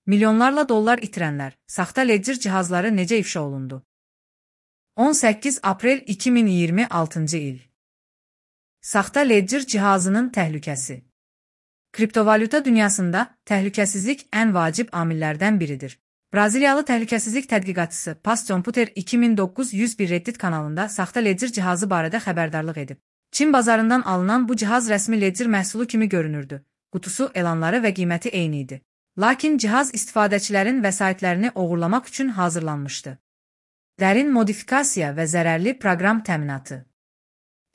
Milyonlarla dollar itirənlər, saxta ledger cihazları necə ifşa olundu? 18 aprel 2026-cı il. Saxta ledger cihazının təhlükəsi. Kriptovalyuta dünyasında təhlükəsizlik ən vacib amillərdən biridir. Braziliyalı təhlükəsizlik tədqiqatçısı Pascomputer 2901 Reddit kanalında saxta ledger cihazı barədə xəbərdarlıq edib. Çin bazarından alınan bu cihaz rəsmi ledger məhsulu kimi görünürdü. Qutusu, elanları və qiyməti eyni idi. Lakin cihaz istifadəçilərin vəsaitlərini oğurlamaq üçün hazırlanmışdı. Dərin modifikasiya və zərərli proqram təminatı.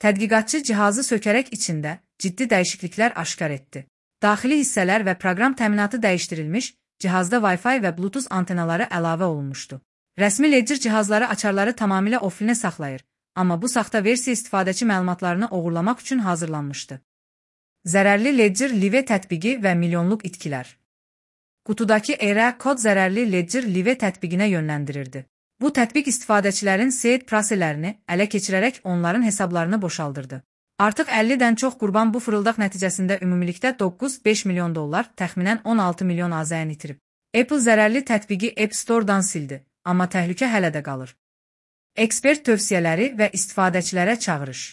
Tədqiqatçı cihazı sökərək içində ciddi dəyişikliklər aşkar etdi. Daxili hissələr və proqram təminatı dəyişdirilmiş, cihazda Wi-Fi və Bluetooth antenaları əlavə olunmuşdu. Rəsmi ledger cihazları açarları tamamilə offline saxlayır, amma bu saxta versiya istifadəçi məlumatlarını oğurlamaq üçün hazırlanmışdı. Zərərli ledger Live tətbiqi və milyonluq itkilər. Qutudakı ERA kod zərərli ledger Live tətbiqinə yönləndirirdi. Bu tətbiq istifadəçilərin seed proseslərini ələ keçirərək onların hesablarını boşaldırdı. Artıq 50-dən çox qurban bu fırıldaq nəticəsində ümumilikdə 9-5 milyon dollar, təxminən 16 milyon AZN itirib. Apple zərərli tətbiqi App Store-dan sildi, amma təhlükə hələ də qalır. Ekspert tövsiyələri və istifadəçilərə çağırış.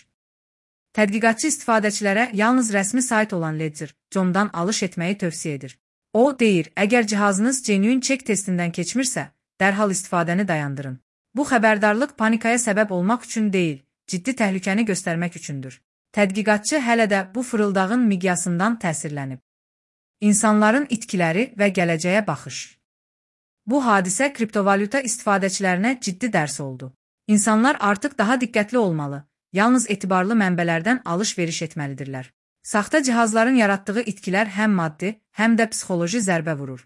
Tədqiqatçı istifadəçilərə yalnız rəsmi sayt olan Ledger.com-dan alış etməyi tövsiyə edir. O, deyir, əgər cihazınız genuine check testindən keçmirsə, dərhal istifadəni dayandırın. Bu xəbərdarlıq panikaya səbəb olmaq üçün deyil, ciddi təhlükəni göstərmək üçündür. Tədqiqatçı hələ də bu fırıldağın miqyasından təsirlənib. İnsanların itkiləri və gələcəyə baxış. Bu hadisə kriptovalyuta istifadəçilərinə ciddi dərs oldu. İnsanlar artıq daha diqqətli olmalı, yalnız etibarlı mənbələrdən alış-veriş etməlidirlər. Saxta cihazların yaratdığı itkilər həm maddi, həm də psixoloji zərbə vurur.